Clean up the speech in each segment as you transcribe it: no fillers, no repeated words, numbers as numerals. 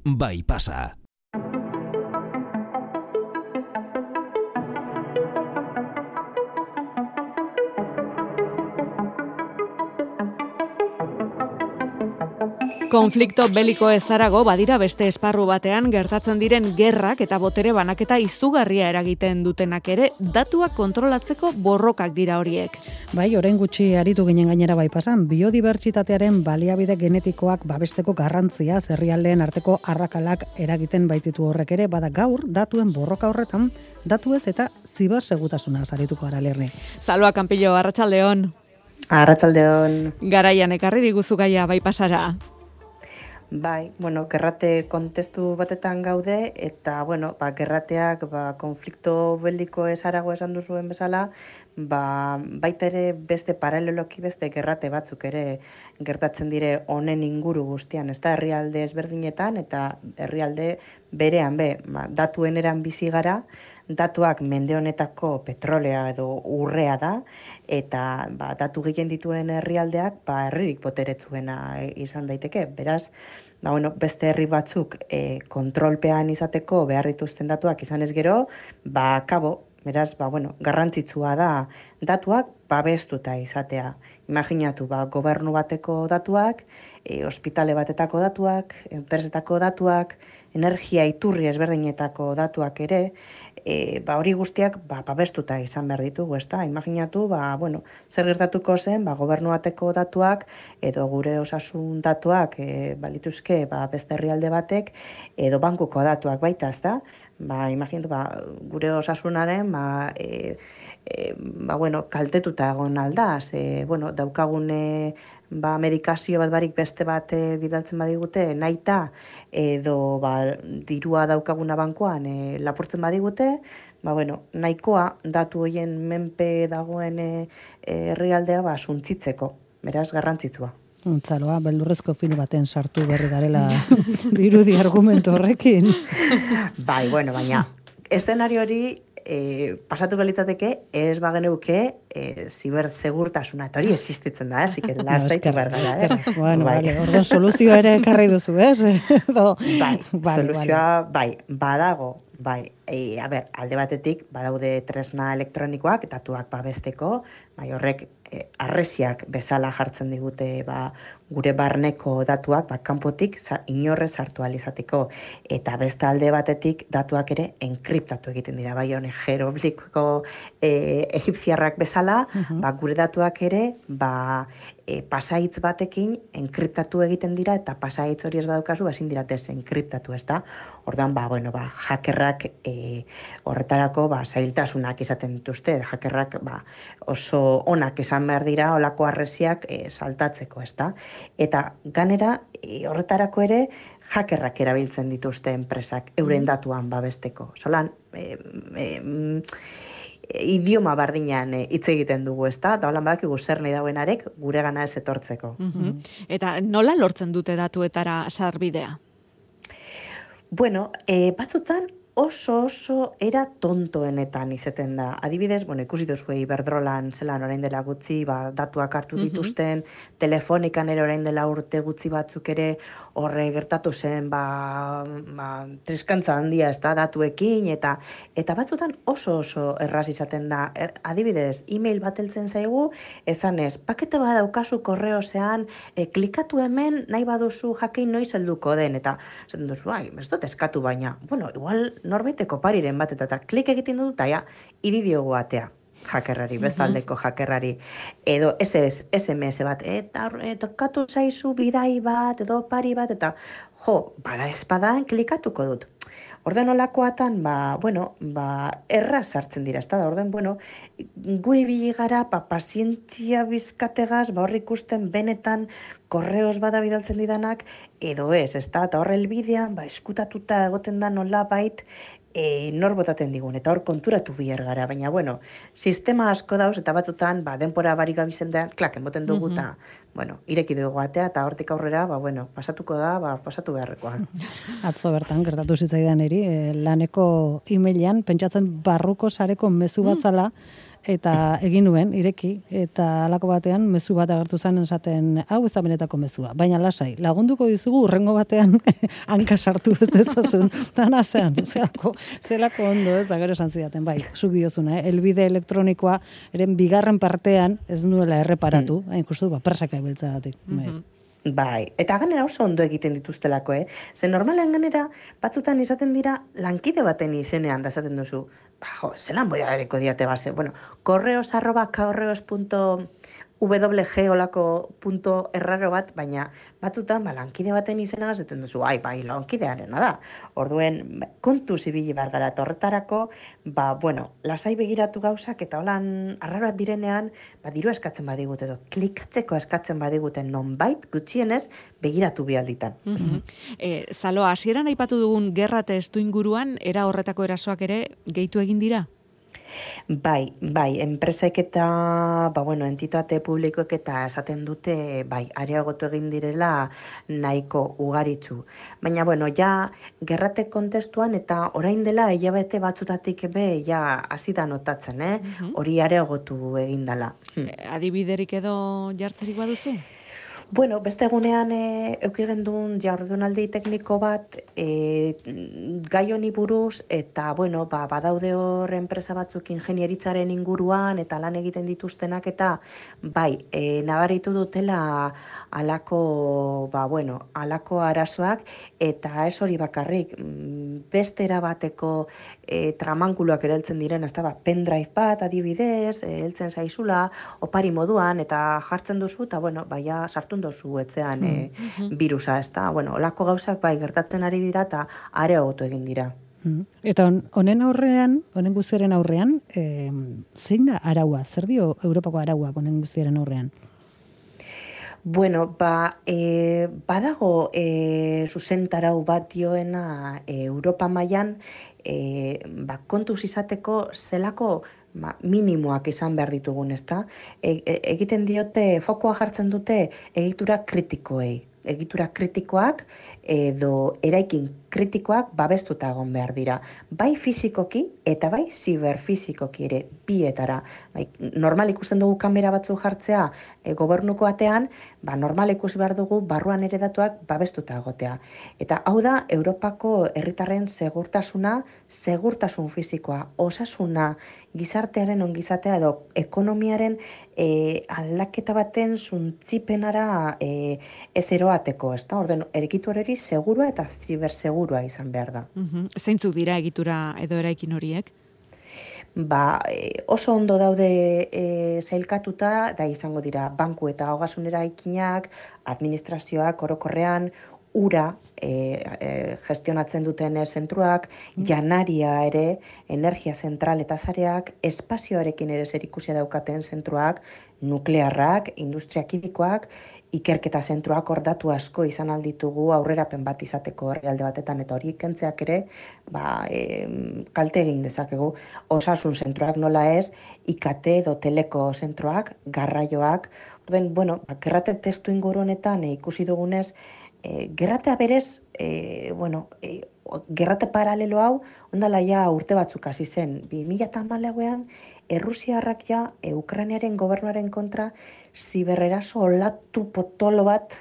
bai pasa. Konflikto beliko ezarago badira beste esparru batean gertatzen diren gerrak eta botere banaketa izugarria eragiten dutenak ere, datuak kontrolatzeko borrokak dira horiek. Bai, orain gutxi aritu ginen gainera bai pasan, biodibertsitatearen baliabide genetikoak babesteko garrantzia herrialdeen arteko arrakalak eragiten baititu horrek ere, bada gaur datuen borroka horretan, datuez eta zibersegurtasuna arituko gara Lerni. Salua Kanpillo, arratsaldeon. Arratsaldeon. Garaian ekarri diguzu gaia bai pasara. Bai, gerrate kontestu batetan gaude, eta, gerrateak, konflikto beliko ezarago esan duzuen bezala, baita ere beste paraleloki beste gerrate batzuk ere gertatzen dire honen inguru guztian, ez da herrialde ezberdinetan, eta herrialde berean datuen eran bizi gara, datuak mende honetako petrolea edo urrea da, eta datu gehien dituen herrialdeak herririk boteretsuena izan daiteke. Beraz, beste herri batzuk kontrolpean izateko behar dituzten datuak izan ez gero, beraz, garrantzitsua da datuak babestuta izatea. Imaginatu, gobernu bateko datuak, ospitale batetako datuak, enpresetako datuak, energia iturri ezberdinetako datuak ere, hori guztiak babestuta izan behar ditugu, ezta? Imaginatu, zer gertatuko zen, gobernu bateko datuak, edo gure osasun datuak, balituzke beste herrialde batek, edo bankuko datuak baita, ezta? Imaginatu, gure osasunaren, kaltetuta egon aldaz, daukagun medikazio bat barik beste bat bidaltzen badigute, nahita, edo dirua daukaguna bankoan lapurtzen badigute, nahikoa datu horien menpe dagoen herrialdea suntzitzeko, beraz garrantzitsua. Zaloa, beldurrezko film baten sartu berri garela dirudi argumentu horrekin. Baina, eszenario hori pasatu balitzateke, ez bageneuke zibersegurtasuna, eta hori existitzen da, zik lasaitu behar gara. Orduan soluzioa ere ekarri duzu, ez? Soluzioa, badago. Alde batetik, badaude tresna elektronikoak, datuak babesteko, horrek arresiak bezala jartzen digute gure barneko datuak kanpotik inorrez sartu ahal izateko, eta beste alde batetik datuak ere enkriptatu egiten dira, jeroglifiko egipziarrak bezala, gure datuak ere pasaitz batekin enkriptatu egiten dira, eta pasaitz hori ez badaukazu ezin dira desenkriptatu, ez da? Orduan, hackerrak horretarako zailtasunak izaten dituzte, hackerrak oso onak izan behar dira olako arresiak saltatzeko, ez da? Eta ganera horretarako ere hackerrak erabiltzen dituzte enpresak euren datuan babesteko. Solan, idioma bardinan hitz egiten dugu, ez da? Eta holan badakigu zer nahi dauenarek gure gana ez etortzeko. Eta nola lortzen dute datuetara sarbidea? Batzutan oso era tontoenetan izaten da. Adibidez, ikusi duzu Iberdrolan zelan orain dela gutxi, datuak hartu dituzten, Telefonikan ere orain dela urte gutxi batzuk ere horre gertatu zen, triskantza handia ez da datuekin, eta batzutan oso erraz izaten da. Adibidez, email bat heltzen zaigu, esanez, pakete bat daukazu korreozean, klikatu hemen, nahi baduzu jakin noiz helduko den, eta zaten duzu, ez dut eskatu baina, igual norbaiteko pariren bat, eta klik egiten dut, eta iridiogu atea hackerrari, bestaldeko hackerrari, edo SMS bat, eta tokatu zaizu bidai bat, edo pari bat, eta bada espada, klikatuko dut. Orden olakoatan, erraz sartzen dira, ez da, orden, gu ibili gara, pazientzia bizkategaz, hor ikusten benetan korreos bada bidaltzen didanak, edo ez da, eta hor helbidean, eskutatuta egoten da nola bait, nor botaten digun, eta hor konturatu bihar gara, baina, sistema asko dauz, eta batzutan, denpora barik gabizen da, enboten dugu, eta, ireki dugu atea, eta hortik aurrera, pasatuko da, pasatu beharrekoa. Atzo bertan, gertatu zitzaidan eri, laneko emailean, pentsatzen barruko sareko mezu batzala, eta egin nuen, ireki, eta halako batean mezu bat agertu zen esaten, hau ez da benetako mezua, baina lasai, lagunduko dizugu urrengo batean hanka sartu ez dezazun, eta nazean, zelako ondo ez da, gero esan zidaten, bai, zuk diozuna, elbide elektronikoa, eren bigarren partean ez nuela erreparatu, hain justu, presaka ibiltzagatik. Bai, eta ganera oso ondo egiten dituztelako, Ze normalean ganera, batzutan izaten dira lankide baten izenean da esaten duzu. Zelan boi ageriko diate base. Bueno, correos@correos.wg olako punto erraro bat, baina batzutan lankide baten izena esaten duzu, bai, lankidearena da. Orduen, kontu zibili behar gara, eta horretarako, lasai begiratu gauzak, eta holan arraroak direnean, diru eskatzen badigut edo, klikatzeko eskatzen badiguten nonbait, gutxienez, begiratu bialditan. Zalo, hasieran aipatu dugun gerra testu inguruan, era horretako erasoak ere gehitu egin dira? Bai, enpresek eta, entitate publikoek eta esaten dute, areagotu egin direla nahiko ugaritzu. Baina, ja, gerrate kontestuan eta orain dela hilabete batzutatik hasi da notatzen, hori areagotu egin dela. Adibiderik edo jartzerik baduzu? Beste egunean eukigen duen jardunaldi tekniko bat gai honi buruz eta badaude hor enpresa batzuk ingenieritzaren inguruan eta lan egiten dituztenak eta nabaritu dutela alako arazoak eta ez hori bakarrik beste erabateko tramankuloak ereltzen diren, pendrive bat adibidez, heltzen zaizula, opari moduan eta jartzen duzu eta sartu dozu etzean virusa, olako gauzak gertatzen ari dira eta areagotu egin dira. Eta honen guztiaren aurrean, zein da araua? Zer dio Europako arauak honen guztiaren aurrean? Badago zuzentarau bat dioena Europa mailan kontuz izateko zelako minimoak izan behar ditugun, ezta? Egiten diote, fokoa jartzen dute egitura kritikoei. Egitura kritikoak edo eraikin kritikoak babestuta egon behar dira. Bai fizikoki eta bai ziberfizikoki ere bietara. Normal ikusten dugu kamera batzu jartzea gobernuko atean, normal ikusi behar dugu barruan ere datuak babestuta egotea. Eta hau da Europako herritarren segurtasun fizikoa, osasuna, gizartearen ongizatea edo ekonomiaren aldaketa baten zuntzipenara ez eroateko, ezta? Orden, egitura hori segurua eta zibersegurua izan behar da. Zeintzuk dira egitura edo eraikin horiek? Oso ondo daude zailkatuta, da izango dira banku eta ogasun eraikinak, administrazioak orokorrean, ura gestionatzen duten zentruak, janaria ere, energia zentral eta zareak, espazioarekin ere zerikusia daukaten zentruak, nuklearrak, industria kimikoak, ikerketa zentruak hor datu asko izan alditugu aurrerapen bat izateko herrialde batetan eta hori kentzeak ere kalte egin dezakegu. Osasun zentruak nola ez, IKT edo teleko zentruak, garraioak. Orden, gerrate testu inguru honetan ikusi dugunez, gerratea berez, gerrate paralelo hau, ondala ja urte batzuk hasi zen. 2014ean, Errusiarrak Ukrainaren gobernuaren kontra zibereraso olatu potolo bat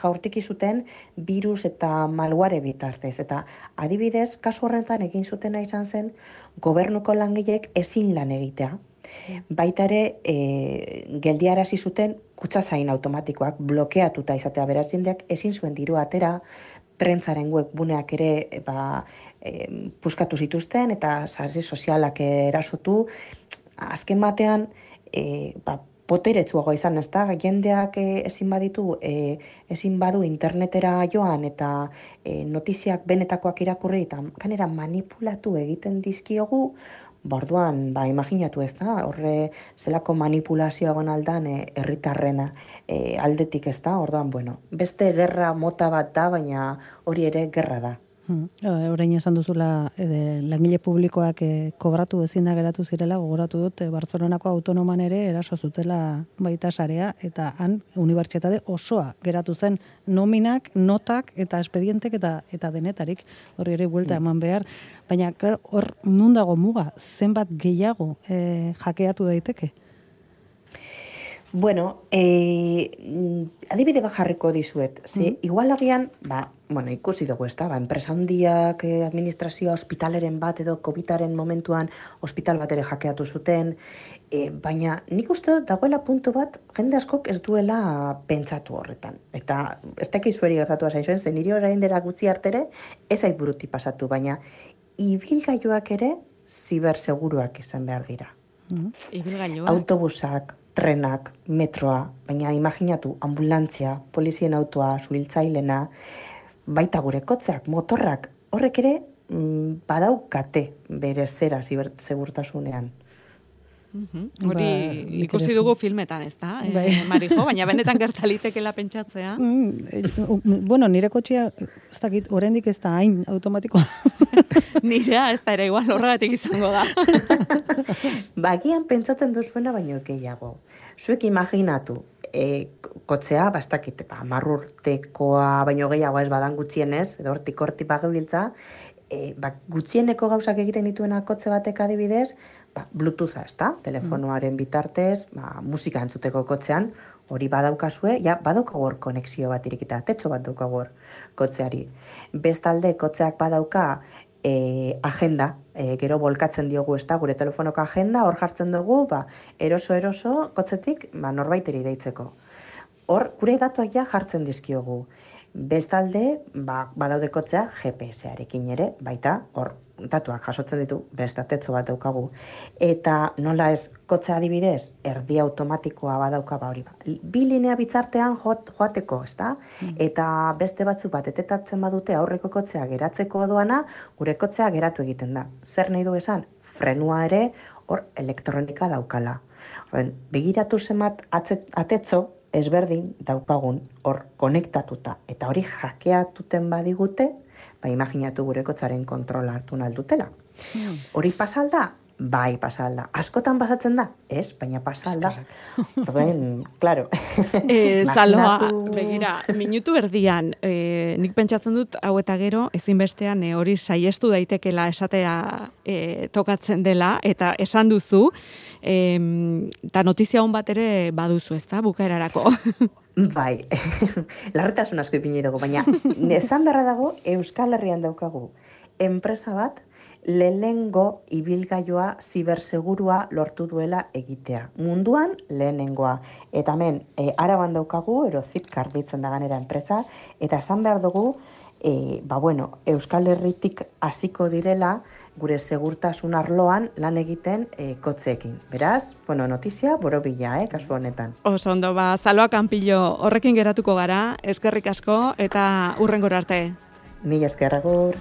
jaurtiki zuten virus eta malware bitartez. Eta adibidez, kasu horretan egin zutena izan zen, gobernuko langileek ezin lan egitea. Baita ere, geldiarazi zuten kutxazain automatikoak blokeatuta izatea beraz jendeak ezin zuen diru atera, prentzaren webguneak ere puskatu zituzten eta sare sozialak erasotu. Azken batean, poteretsuagoa izan, ezta? Jendeak ezin badu internetera joan eta notiziak benetakoak irakurri eta ganera manipulatu egiten dizkiogu, orduan, imaginatu ezta, horre zelako manipulazioa egon aldan herritarrena aldetik ezta, orduan, beste gerra mota bat da, baina hori ere gerra da. Orain esan duzula langile publikoak kobratu ezin da geratu zirela, gogoratu dut Bartzelonako autonoman ere eraso zutela baita sarea, eta han unibertsitate osoa geratu zen nominak, notak eta espedientek eta denetarik, hori ere buelta eman behar. Baina hor nun dago muga, zenbat gehiago jakeatu daiteke? Bueno, adibide bat jarriko dizuet. Igual agian, ikusi dugu, enpresa handiak, administrazioa, ospitaleren bat edo COVID-aren momentuan ospital bat ere hackeatu zuten, baina nik uste dagoela puntu bat jende askok ez duela pentsatu horretan. Eta ez dakiz zueri gertatu zaizuen, zen niri orain dela gutxi artere, ez ait buruti pasatu, baina ibilgailuak ere ziberseguruak izan behar dira. Ibilgailuak? Autobusak, trenak, metroa, baina imaginatu ambulantzia, polizien autoa, suhiltzailena, baita gure kotzeak, motorrak, horrek ere badaukate bere zera segurtasunean. Hori ikusi dugu filmetan, ez da, Marijo, baina benetan gertalitekela pentsatzea. Bueno, nire kotxea, ez dakit, oraindik ez da hain automatikoa. Nirea, ez da ere igual horregatik izango da. Bagian pentsatzen duzuena baino gehiago. Zuek imaginatu, kotzea, ez dakit, 10 urtekoa baino gehiago ez badan gutxienez, edo hortik bagebiltza, gutxieneko gauzak egiten dituena kotze batek adibidez, Bluetootha, ez da? Telefonoaren bitartez, musika entzuteko kotzean, hori badaukazue, badaukagu hor konexio bat irikita, tetxo bat daukagu hor kotzeari. Bestalde, kotzeak badauka agenda, gero bolkatzen diogu, ez da, gure telefonoko agenda, hor jartzen dugu, eroso kotzetik, norbaiteri deitzeko. Hor, gure datuak jartzen dizkiogu. Bestalde, badaude kotzea GPS-arekin ere, baita, hor, datuak jasotzen ditu, bestatetzo bat daukagu. Eta nola ez kotzea adibidez, erdi automatikoa badauka hori. Bi linea bitzartean joateko, ez da? Eta beste batzuk bat etetatzen badute aurreko kotzea geratzeko doana, gure kotzea geratu egiten da. Zer nahi du esan? Frenua ere, hor, elektronika daukala. Begiratu zenbat atetzo, ezberdin daukagun hor konektatuta, eta hori hackeatuten badigute, imaginatu gure kotzaren kontrola hartu naldutela. Hori pasalda? Bai, pasalda. Askotan pasatzen da? Ez, baina pasalda. Claro. Zaloa, begira, minutu erdian, nik pentsatzen dut, hau eta gero, ezinbestean hori saiestu daitekela esatea tokatzen dela, eta esan duzu, eta notizia hon bat ere baduzu, ez da, bukaerarako. Bai, larretasun asko ipini dugu, baina esan beharra dago Euskal Herrian daukagu enpresa bat lehenengo ibilgailua zibersegurua lortu duela egitea. Munduan lehenengoa. Eta hemen, Araban daukagu, Erozipcar ditzen da ganera enpresa, eta esan behar dugu, Euskal Herritik hasiko direla gure segurtasun arloan lan egiten kotzeekin. Beraz, notizia borobila, kasu honetan. Oso ondo, Zaloa Kanpillo, horrekin geratuko gara, eskerrik asko, eta hurrengora arte. Mila esker, agur.